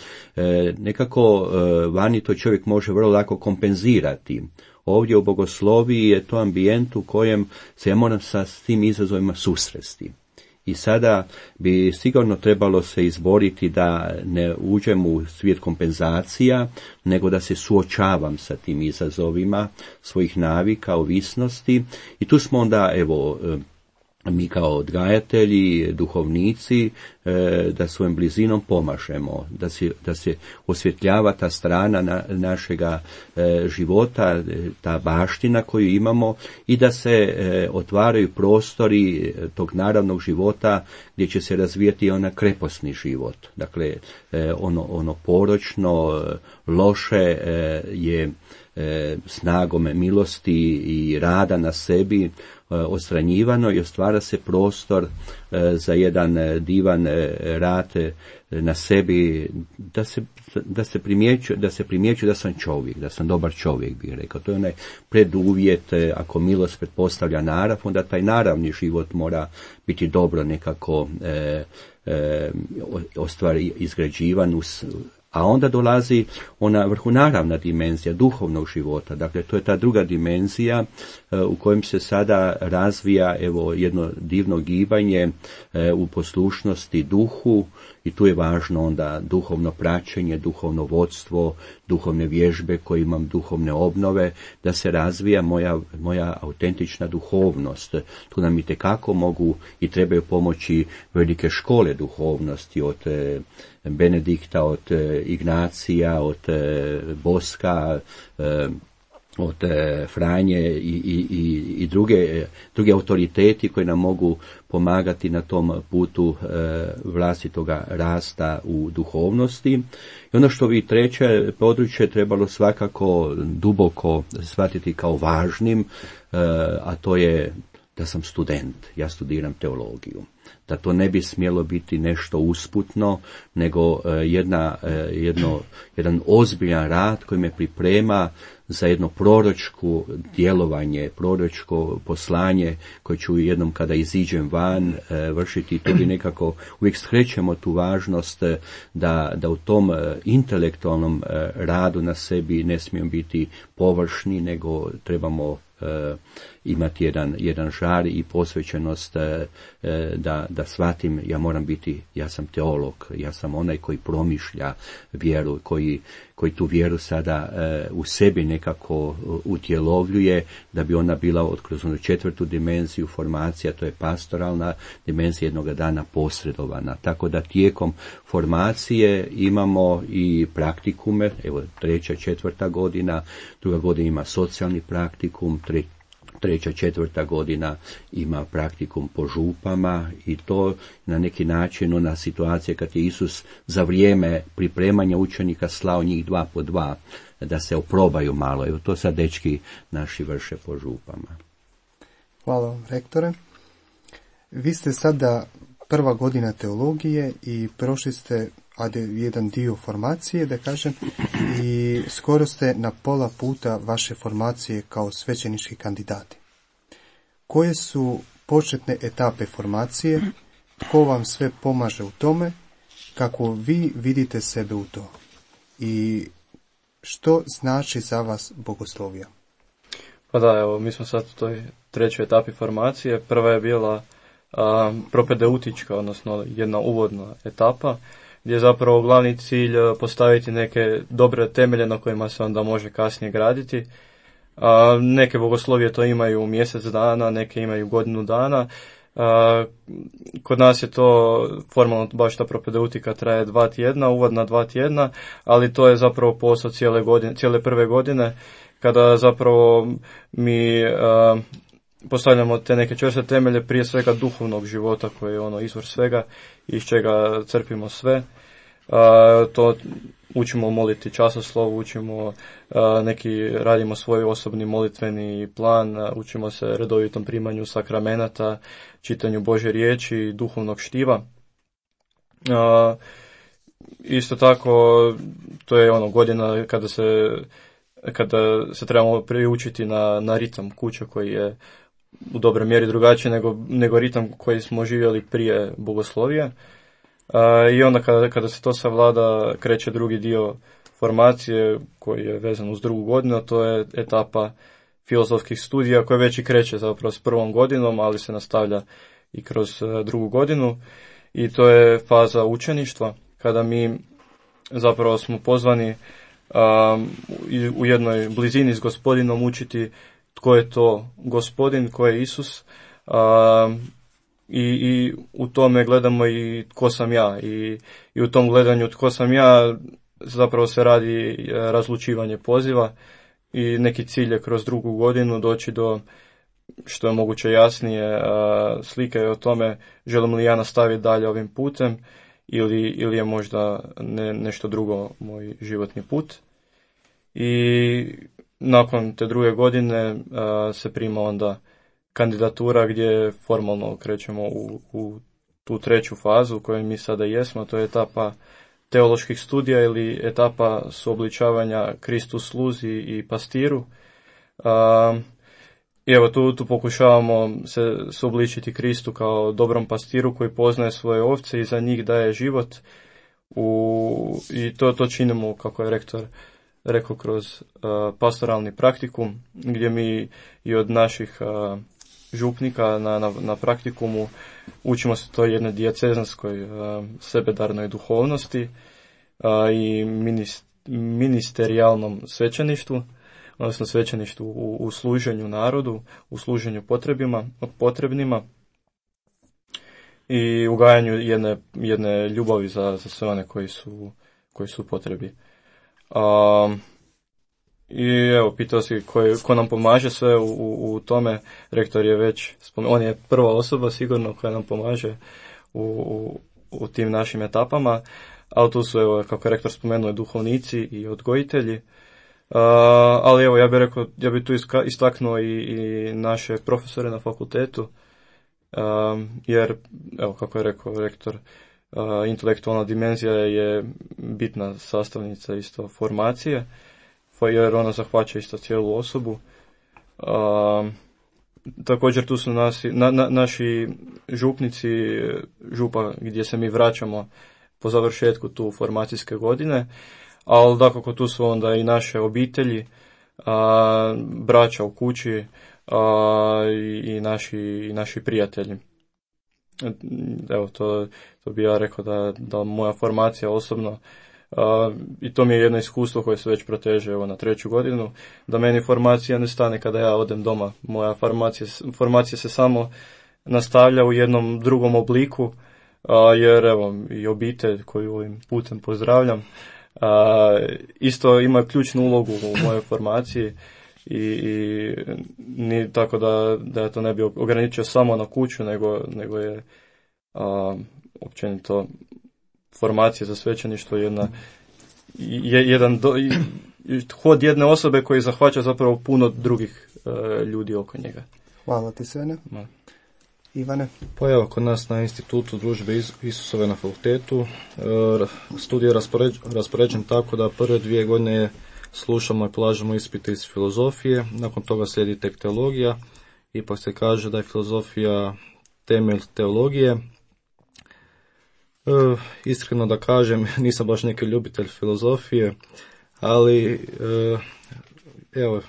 nekako vani to čovjek može vrlo lako kompenzirati. Ovdje u bogosloviji je to ambijent u kojem se ja moram sa tim izazovima susresti. I sada bi sigurno trebalo se izboriti da ne uđem u svijet kompenzacija, nego da se suočavam sa tim izazovima svojih navika, ovisnosti. I tu smo onda, mi kao odgajatelji, duhovnici, da svojim blizinom pomažemo, da se osvjetljava ta strana našega života, ta baština koju imamo i da se otvaraju prostori tog naravnog života gdje će se razvijati ona kreposni život. Dakle, ono poročno, loše je snagom milosti i rada na sebi odstranjivano i ostvara se prostor za jedan divan rad na sebi, da se primjećuje da sam čovjek, da sam dobar čovjek, bih rekao. To je onaj preduvjet, ako milost pretpostavlja narav, onda taj naravni život mora biti dobro nekako izgrađivan a onda dolazi ona vrhunaravna dimenzija duhovnog života. Dakle, to je ta druga dimenzija u kojem se sada razvija jedno divno gibanje u poslušnosti duhu i tu je važno onda duhovno praćenje, duhovno vodstvo, duhovne vježbe koje imam, duhovne obnove, da se razvija moja autentična duhovnost. Tu nam itekako mogu i trebaju pomoći velike škole duhovnosti od Benedikta, od Ignacija, od Boska, od Franje i drugi autoriteti koji nam mogu pomagati na tom putu vlastitoga rasta u duhovnosti. I ono što bi treće područje trebalo svakako duboko shvatiti kao važnim, a to je da sam student, ja studiram teologiju. Da to ne bi smjelo biti nešto usputno, nego jedan ozbiljan rad koji me priprema za jedno proročko djelovanje, proročko poslanje koje ću jednom kada iziđem van vršiti. Tu bi nekako uvijek skrećemo tu važnost da u tom intelektualnom radu na sebi ne smijemo biti površni, nego trebamo imati jedan žar i posvećenost da shvatim, ja sam teolog, ja sam onaj koji promišlja vjeru, koji tu vjeru sada u sebi nekako utjelovljuje, da bi ona bila kroz onu četvrtu dimenziju formacija, to je pastoralna dimenzija, jednoga dana posredovana. Tako da tijekom formacije imamo i praktikume, 3., 4. godina, 2. godina ima socijalni praktikum, 3., 4. godina ima praktikum po župama i to na neki način ona situacija kad je Isus za vrijeme pripremanja učenika slao njih 2 po 2 da se oprobaju malo. Evo to sad dečki naši vrše po župama. Hvala vam, rektore. Vi ste sada 1. godina teologije i prošli ste jedan dio formacije, da kažem, i skoro ste na pola puta vaše formacije kao svećenički kandidati. Koje su početne etape formacije, tko vam sve pomaže u tome, kako vi vidite sebe u to i što znači za vas bogoslovija? Pa da, mi smo sad u toj 3. etapi formacije. Prva je bila propedeutička, odnosno jedna uvodna etapa, gdje je zapravo glavni cilj postaviti neke dobre temelje na kojima se onda može kasnije graditi. Neke bogoslovije to imaju mjesec dana, neke imaju godinu dana. Kod nas je to formalno baš ta propedeutika traje 2 tjedna, uvodna 2 tjedna, ali to je zapravo posao cijele prve godine, kada zapravo mi postavljamo te neke čvrste temelje, prije svega duhovnog života koji je ono izvor svega, iz čega crpimo sve. To učimo moliti časoslov, učimo radimo svoj osobni molitveni plan, učimo se redovitom primanju sakramenata, čitanju Božje riječi, duhovnog štiva. Isto tako, to je ono godina kada se trebamo priučiti na ritam kuće koji je u dobroj mjeri drugačiji nego ritam koji smo živjeli prije bogoslovija. I onda kada se to savlada, kreće drugi dio formacije koji je vezan uz drugu godinu, a to je etapa filozofskih studija koja već i kreće zapravo s prvom godinom, ali se nastavlja i kroz drugu godinu. I to je faza učeništva, kada mi zapravo smo pozvani u jednoj blizini s Gospodinom učiti tko je to Gospodin, tko je Isus, i u tome gledamo i tko sam ja, i u tom gledanju tko sam ja zapravo se radi razlučivanje poziva i neki cilj je kroz drugu godinu doći do što je moguće jasnije slike o tome želim li ja nastaviti dalje ovim putem ili je možda nešto drugo moj životni put. I nakon te druge godine se prima onda kandidatura gdje formalno krećemo u tu treću fazu u kojoj mi sada jesmo, to je etapa teoloških studija ili etapa suobličavanja Kristu sluzi i pastiru. I evo tu pokušavamo se suobličiti Kristu kao dobrom pastiru koji poznaje svoje ovce i za njih daje život. I to činimo, kako je rektor rekao, kroz pastoralni praktikum, gdje mi i od naših župnika na praktikumu učimo se to jednoj dijecezanskoj sebedarnoj duhovnosti i ministerijalnom svećeništvu, odnosno svećeništvu u služenju narodu, u služenju potrebnima i ugajanju jedne ljubavi za sve one koji su potrebi. I evo, pitao si ko nam pomaže sve u tome. Rektor je već spomenuo, on je prva osoba sigurno koja nam pomaže u tim našim etapama, ali tu su, evo, kako je rektor spomenuo, duhovnici i odgojitelji. Ali evo, ja bih tu istaknuo i naše profesore na fakultetu, jer, evo, kako je rekao rektor, intelektualna dimenzija je bitna sastavnica isto formacije, jer ona zahvaća isto cijelu osobu. Također tu su naši župnici, župa gdje se mi vraćamo po završetku tu formacijske godine, ali dakako tu su onda i naše obitelji, braća u kući i naši prijatelji. Evo, to bi ja rekao da moja formacija osobno, i to mi je jedno iskustvo koje se već proteže na treću godinu, da meni formacija ne stane kada ja odem doma. Moja formacija se samo nastavlja u jednom drugom obliku, jer evo i obitelj koju ovim putem pozdravljam isto ima ključnu ulogu u mojoj formaciji i ni tako da ja to ne bi ograničio samo na kuću, nego je općenito formacija za svećeništvo jedan hod jedne osobe koji zahvaća zapravo puno drugih ljudi oko njega. Hvala ti, Svene. Ivane? Pa evo, kod nas na institutu Družbe Isusove na fakultetu studij je raspoređen tako da prve 2 godine slušamo i polažemo ispite iz filozofije, nakon toga slijedi tek teologija. Ipak se kaže da je filozofija temelj teologije. Iskreno da kažem, nisam baš neki ljubitelj filozofije, ali evo,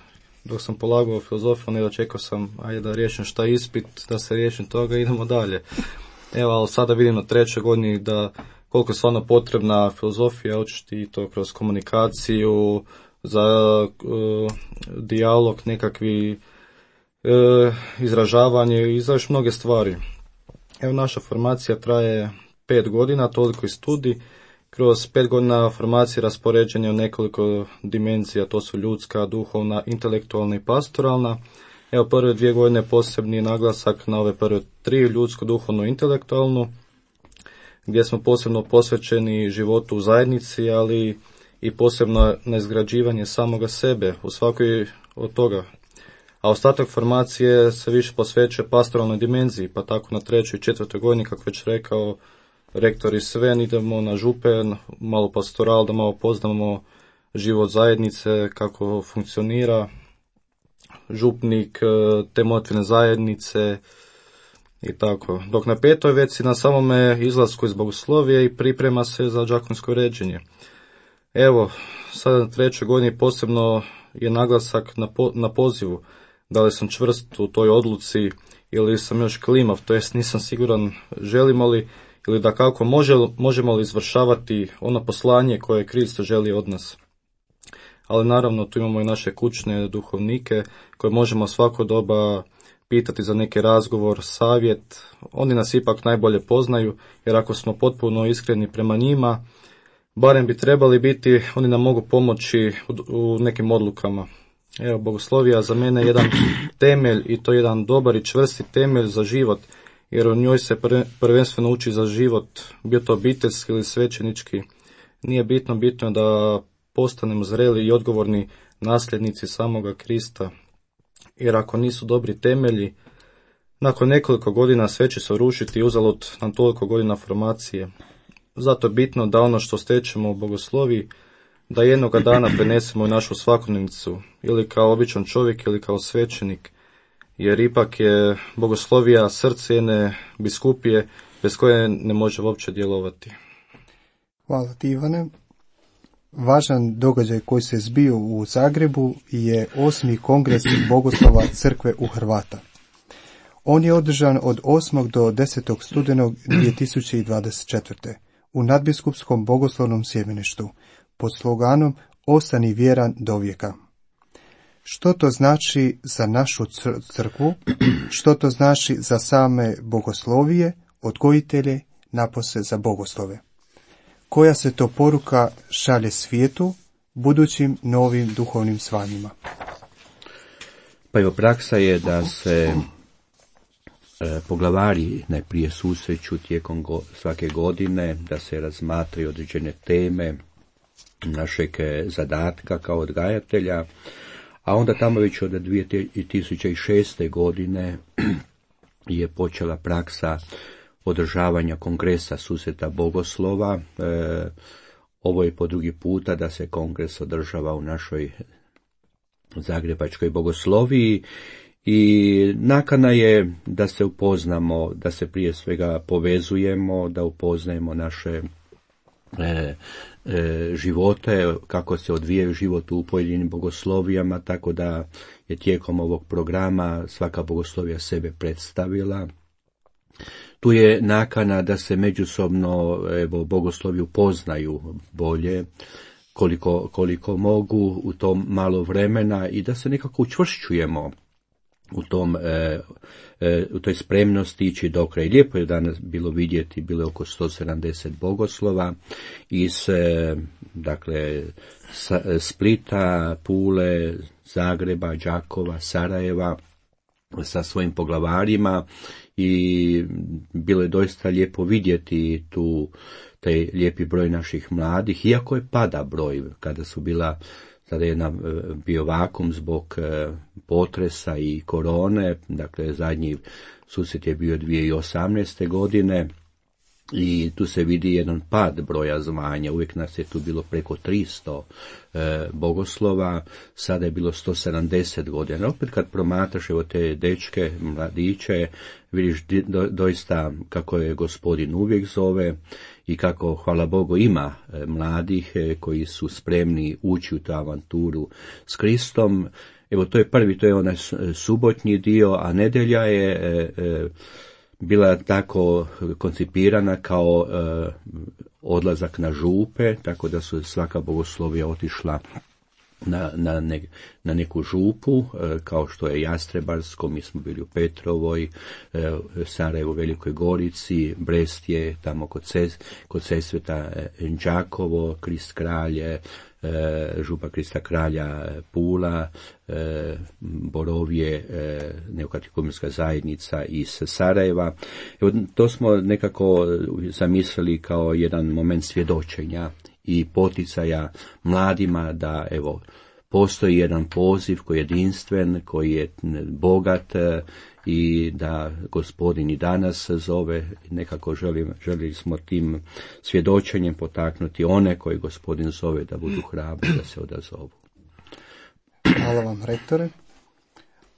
dok sam polagao filozofiju, onda čekao sam, ajde da riješim šta ispit, da se riješim toga i idemo dalje. Evo, ali sada vidim na 3. godini da koliko je stvarno potrebna filozofija, učiti to kroz komunikaciju, za dijalog, nekakvi izražavanje i za još mnoge stvari. Evo, naša formacija traje 5 godina, toliko i studij. Kroz 5 godina formacije raspoređen je u nekoliko dimenzija, to su ljudska, duhovna, intelektualna i pastoralna. Evo, prve 2 godine posebni naglasak na ove prve 3, ljudsku, duhovnu i intelektualnu, gdje smo posebno posvećeni životu u zajednici, ali i posebno na izgrađivanje samoga sebe u svakoj od toga. A ostatak formacije se više posvećuje pastoralnoj dimenziji, pa tako na 3. i 4. godini, kako već rekao rektor i Sven, idemo na župe, malo pastoral, da malo poznamo život zajednice, kako funkcionira župnik, te motvine zajednice i tako. Dok na 5. već si na samome izlasku iz bogoslovije i priprema se za đakonsko ređenje. Evo, sada na 3. godini posebno je naglasak na pozivu. Da li sam čvrst u toj odluci ili sam još klimav, to jest nisam siguran želimo li ili da kako možemo li izvršavati ono poslanje koje Kristo želi od nas. Ali naravno tu imamo i naše kućne duhovnike koje možemo svako doba pitati za neki razgovor, savjet. Oni nas ipak najbolje poznaju, jer ako smo potpuno iskreni prema njima, barem bi trebali biti, oni nam mogu pomoći u nekim odlukama. Evo, bogoslovija za mene je jedan temelj i to jedan dobar i čvrsti temelj za život, jer u njoj se prvenstveno uči za život, bio to obiteljski ili svećenički. Nije bitno je da postanemo zreli i odgovorni nasljednici samoga Krista, jer ako nisu dobri temelji, nakon nekoliko godina sve će se rušiti i uzalud nam toliko godina formacije. Zato je bitno da ono što stečemo u bogosloviji, da jednoga dana prenesemo u našu svakodnevnicu, ili kao običan čovjek ili kao svećenik, jer ipak je bogoslovija srce jedne biskupije bez koje ne može uopće djelovati. Hvala ti, Ivane. Važan događaj koji se zbio u Zagrebu je 8. kongres bogoslova crkve u Hrvata. On je održan od 8. do 10. studenog 2024. u nadbiskupskom bogoslovnom sjemeništu pod sloganom Ostani vjeran do vijeka. Što to znači za našu crkvu, što to znači za same bogoslovije, odgojitelje, napose za bogoslove? Koja se to poruka šalje svijetu, budućim novim duhovnim zvanjima? Pa evo, praksa je da se poglavari najprije susreću tijekom svake godine, da se razmatraju određene teme našeg zadatka kao odgajatelja, a onda tamo već od 2006. godine je počela praksa održavanja kongresa susreta bogoslova. Ovo je po drugi puta da se kongres održava u našoj zagrebačkoj bogosloviji i nakana je da se upoznamo, da se prije svega povezujemo, da upoznajemo naše živote, kako se odvijaju život u pojedinim bogoslovijama, tako da je tijekom ovog programa svaka bogoslovija sebe predstavila. Tu je nakana da se međusobno bogoslovi upoznaju bolje, koliko mogu u tom malo vremena i da se nekako učvršćujemo u toj spremnosti ići do kraja. Lijepo je danas bilo vidjeti, bilo je oko 170 bogoslova iz Splita, Pule, Zagreba, Đakova, Sarajeva sa svojim poglavarima i bilo je doista lijepo vidjeti tu taj lijepi broj naših mladih, iako je pada broj kada su sada je bio vakum zbog potresa i korone, dakle zadnji susret je bio 2018. godine i tu se vidi jedan pad broja zvanja, uvijek nas je tu bilo preko 300 bogoslova, sada je bilo 170 godina. Opet kad promatraš evo te dečke, mladiće, vidiš doista kako je Gospodin uvijek zove i kako, hvala Bogu, ima mladih koji su spremni ući u tu avanturu s Kristom. Evo to je prvi, to je onaj subotnji dio, a nedjelja je bila tako koncipirana kao odlazak na župe, tako da su svaka bogoslovija otišla na neku župu, kao što je Jastrebarsko, mi smo bili u Petrovoj, Sarajevo u Velikoj Gorici, Brest je tamo kod Sesveta, Đakovo, Krist Kralje, župa Krista Kralja Pula, Borovje, neokatekumenska zajednica iz Sarajeva. Evo, to smo nekako zamislili kao jedan moment svjedočenja i poticaja mladima da evo postoji jedan poziv koji je jedinstven, koji je bogat i da Gospodin i danas zove. Nekako želili smo tim svjedočenjem potaknuti one koji Gospodin zove da budu hrabri, da se odazovu. Hvala vam, rektore.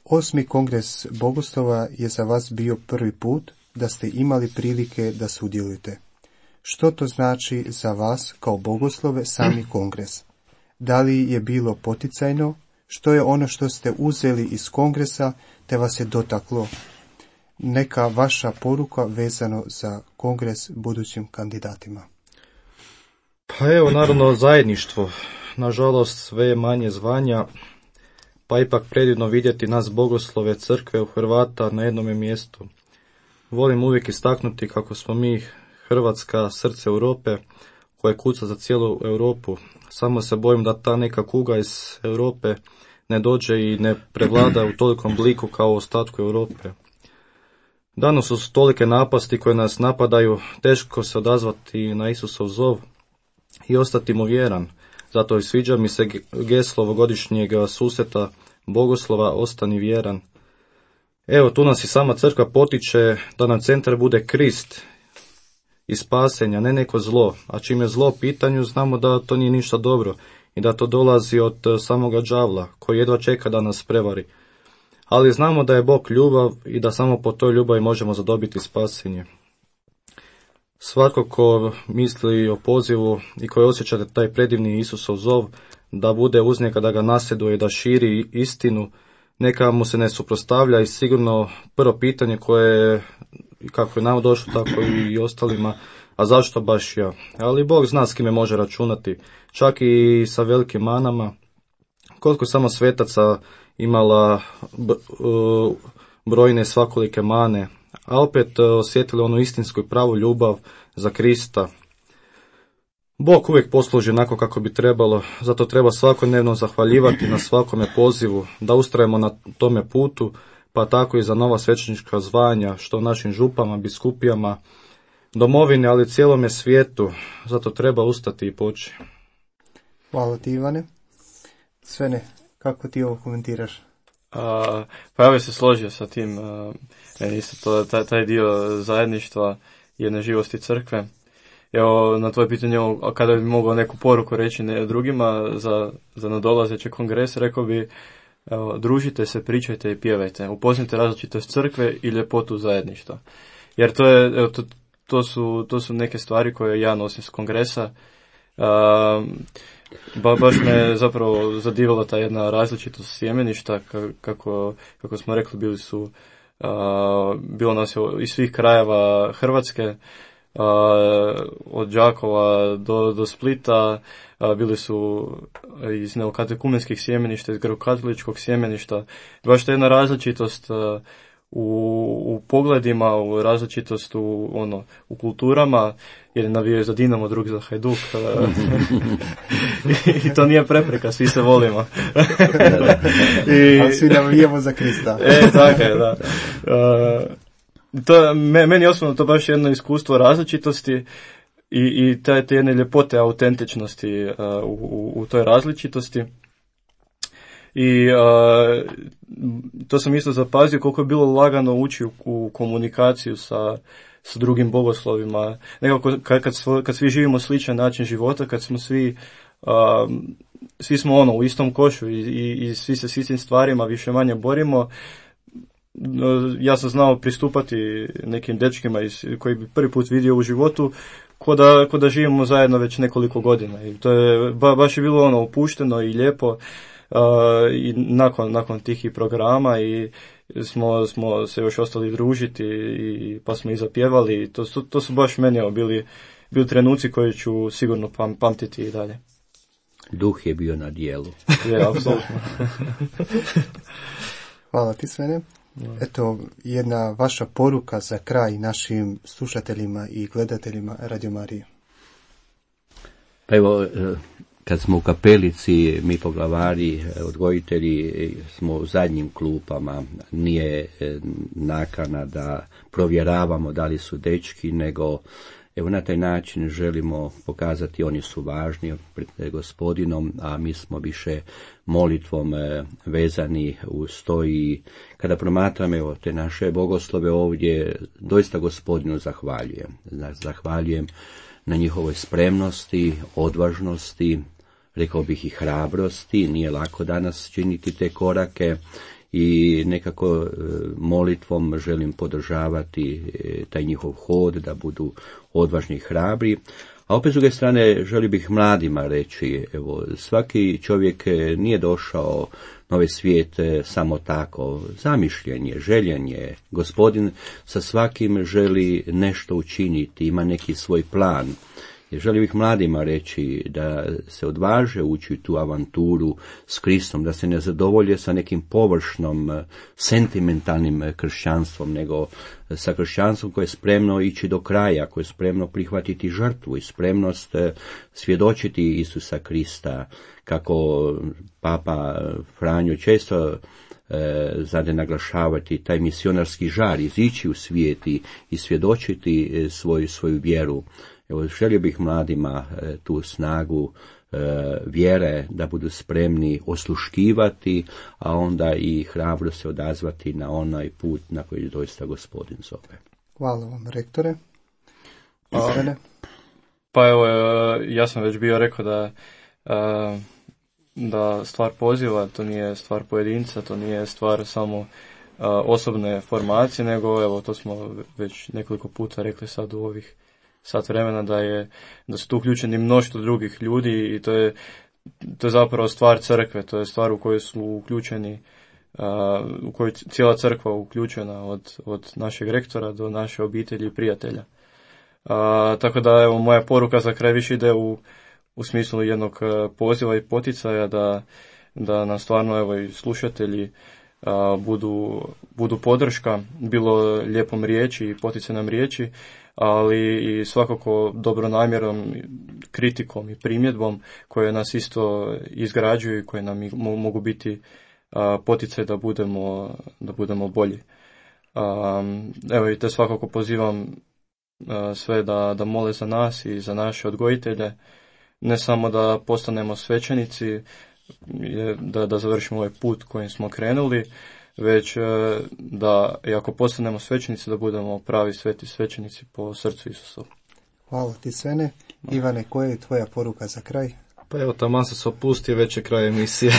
8. kongres bogoslova je za vas bio prvi put da ste imali prilike da sudjelujete. Što to znači za vas kao bogoslove sami kongres? Da li je bilo poticajno? Što je ono što ste uzeli iz kongresa te vas je dotaklo? Neka vaša poruka vezano za kongres budućim kandidatima. Pa evo, naravno, zajedništvo. Nažalost, sve je manje zvanja, pa ipak predivno vidjeti nas bogoslove crkve u Hrvata na jednome mjestu. Volim uvijek istaknuti kako smo mi Hrvatska, srce Europe, koje kuca za cijelu Europu. Samo se bojim da ta neka kuga iz Europe ne dođe i ne prevlada u tolikom bliku kao u ostatku Europe. Danas su tolike napasti koje nas napadaju, teško se odazvati na Isusov zov i ostati mu vjeran. Zato i sviđa mi se geslo ovogodišnjeg susreta bogoslova Ostani vjeran. Evo, tu nas i sama crkva potiče da nam centar bude Krist i spasenja, ne neko zlo. A čim je zlo u pitanju, znamo da to nije ništa dobro i da to dolazi od samoga đavla, koji jedva čeka da nas prevari. Ali znamo da je Bog ljubav i da samo po toj ljubavi možemo zadobiti spasenje. Svatko ko misli o pozivu i koji osjeća taj predivni Isusov zov, da bude uz njega, da ga nasljeduje, da širi istinu, neka mu se ne suprotstavlja i sigurno prvo pitanje koje kako je nam došlo, tako i ostalima, a zašto baš ja? Ali Bog zna s kime može računati, čak i sa velikim manama. Koliko samo svetaca imala brojne svakolike mane, a opet osjetili onu istinsku i pravu ljubav za Krista. Bog uvijek posluži onako kako bi trebalo, zato treba svakodnevno zahvaljivati na svakome pozivu, da ustrajemo na tome putu, pa tako i za nova svećenička zvanja, što našim župama, biskupijama, domovini, ali cijelome svijetu, zato treba ustati i poći. Hvala ti, Ivane. Svene, kako ti ovo komentiraš? Pa ja bih se složio sa tim, isto taj dio zajedništva jedne živosti crkve. Evo, na tvoje pitanje, kada bi mogao neku poruku reći drugima za nadolazeći kongres, rekao bi, evo, družite se, pričajte i pjevajte, upoznajte različitost crkve i ljepotu zajedništva. Jer to je, evo, to su neke stvari koje ja nosim s kongresa. Baš me zapravo zadivila ta jedna različitost sjemeništa, kako smo rekli, bilo nas je iz svih krajeva Hrvatske, od Đakova do Splita, bili su iz neokatekumenskih sjemeništa, iz grekokatoličkog sjemeništa. Baš ta jedna različitost u pogledima, u različitost u kulturama, jer navijaju za Dinamo, drugi za Hajduk. I to nije prepreka, svi se volimo. Ali svi navijamo za Krista. Tako je, da. Meni osobno to baš jedno iskustvo različitosti i te jedne ljepote autentičnosti u toj različitosti. I to sam isto zapazio koliko je bilo lagano ući u komunikaciju sa drugim bogoslovima. Nekako kad svi živimo sličan način života, kad smo svi smo u istom košu i svi se s istim stvarima više manje borimo. Ja sam znao pristupati nekim dečkima koji bi prvi put vidio u životu ko da živimo zajedno već nekoliko godina. I to je baš je bilo opušteno i lijepo. I nakon tih programa i smo se još ostali družiti pa smo i zapjevali. To su baš meni bili trenuci koji ću sigurno pamtiti i dalje. Duh je bio na dijelu. Je, apsolutno. Hvala ti, Svene. Eto, jedna vaša poruka za kraj našim slušateljima i gledateljima Radio Marije. Pa evo, kad smo u kapelici, mi poglavari, odgojitelji, smo u zadnjim klupama, nije nakana da provjeravamo da li su dečki, nego evo na taj način želimo pokazati oni su važni pred Gospodinom, a mi smo više molitvom vezani uz to i kada promatram evo te naše bogoslove ovdje, doista Gospodinu zahvaljujem. Zahvaljujem na njihovoj spremnosti, odvažnosti, rekao bih i hrabrosti, nije lako danas činiti te korake i nekako molitvom želim podržavati taj njihov hod, da budu odvažni i hrabri. A opet s druge strane želim bih mladima reći, evo, svaki čovjek nije došao na ovaj svijet samo tako, zamišljen je, željen je. Gospodin sa svakim želi nešto učiniti, ima neki svoj plan. I želim bih mladima reći da se odvaže ući u tu avanturu s Kristom, da se ne zadovolje sa nekim površnom, sentimentalnim kršćanstvom, nego sa kršćanstvom koje je spremno ići do kraja, koje je spremno prihvatiti žrtvu i spremnost svjedočiti Isusa Krista, kako Papa Franjo često zade naglašavati taj misionarski žar, izići u svijet i svjedočiti svoju vjeru. Evo, želio bih mladima tu snagu vjere da budu spremni osluškivati, a onda i hrabro se odazvati na onaj put na koji doista Gospodin zove. Hvala vam, rektore. Pa evo, ja sam već bio rekao da stvar poziva, to nije stvar pojedinca, to nije stvar samo osobne formacije, nego evo, to smo već nekoliko puta rekli sad u ovih sat vremena, da su tu uključeni mnoštvo drugih ljudi i to je zapravo stvar crkve, to je stvar u kojoj su uključeni, u kojoj cijela crkva uključena od našeg rektora do naše obitelji i prijatelja. Tako da evo, moja poruka za kraj više ide u smislu jednog poziva i poticaja da nam stvarno evo i slušatelji budu podrška, bilo lijepom riječi i poticajnom riječi, ali i svakako dobronamjerom, kritikom i primjedbom koje nas isto izgrađuju i koje nam mogu biti poticaj da budemo bolji. Evo i te svakako pozivam sve da mole za nas i za naše odgojitelje, ne samo da postanemo svećenici, da završimo ovaj put kojim smo krenuli, već da, i ako postanemo svećenici, da budemo pravi sveti svećenici po srcu Isusovu. Hvala ti, Svene. Ivane, koja je tvoja poruka za kraj? Pa evo, taman se opustio, već je kraj emisije.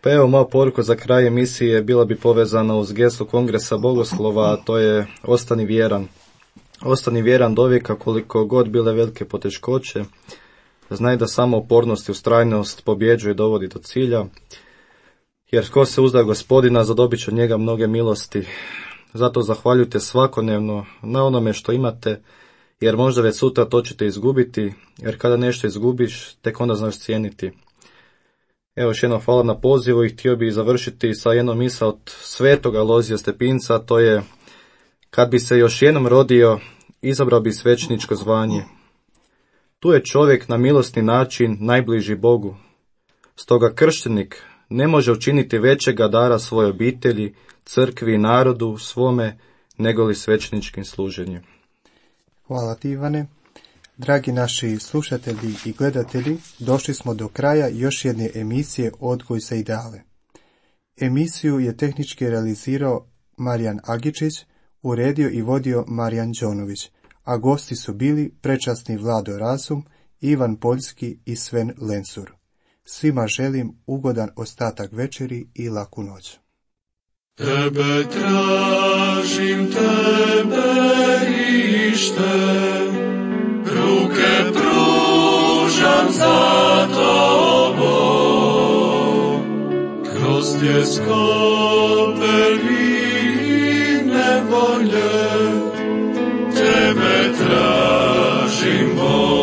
Pa evo, moja poruka za kraj emisije bila bi povezana uz geslo Kongresa Bogoslova, a to je ostani vjeran. Ostani vjeran do vijeka, koliko god bile velike poteškoće. Znaj da samo upornost i ustrajnost pobjeđuje i dovodi do cilja. Jer tko se uzda Gospodina, zadobit će od njega mnoge milosti. Zato zahvaljujte svakodnevno na onome što imate, jer možda već sutra to ćete izgubiti, jer kada nešto izgubiš, tek onda znaš cijeniti. Evo, još jednom hvala na pozivu i htio bih završiti sa jednom misa od svetog Alojzija Stepinca, to je: kad bi se još jednom rodio, izabrao bi svećeničko zvanje. Tu je čovjek na milosni način najbliži Bogu. Stoga kršćanik ne može učiniti većega dara svojoj obitelji, crkvi i narodu svome, nego li svećeničkim služenjem. Hvala ti, Ivane. Dragi naši slušatelji i gledatelji, došli smo do kraja još jedne emisije Odgoj za ideale. Emisiju je tehnički realizirao Marijan Agičić, uredio i vodio Marijan Đonović, a gosti su bili prečasni Vlado Razum, Ivan Poljski i Sven Lensur. Svima želim ugodan ostatak večeri i laku noć. Tebe tražim, tebe ištem, ruke pružam za tobom, kroz tjeskobe i nevolje, tebe tražim, Bog.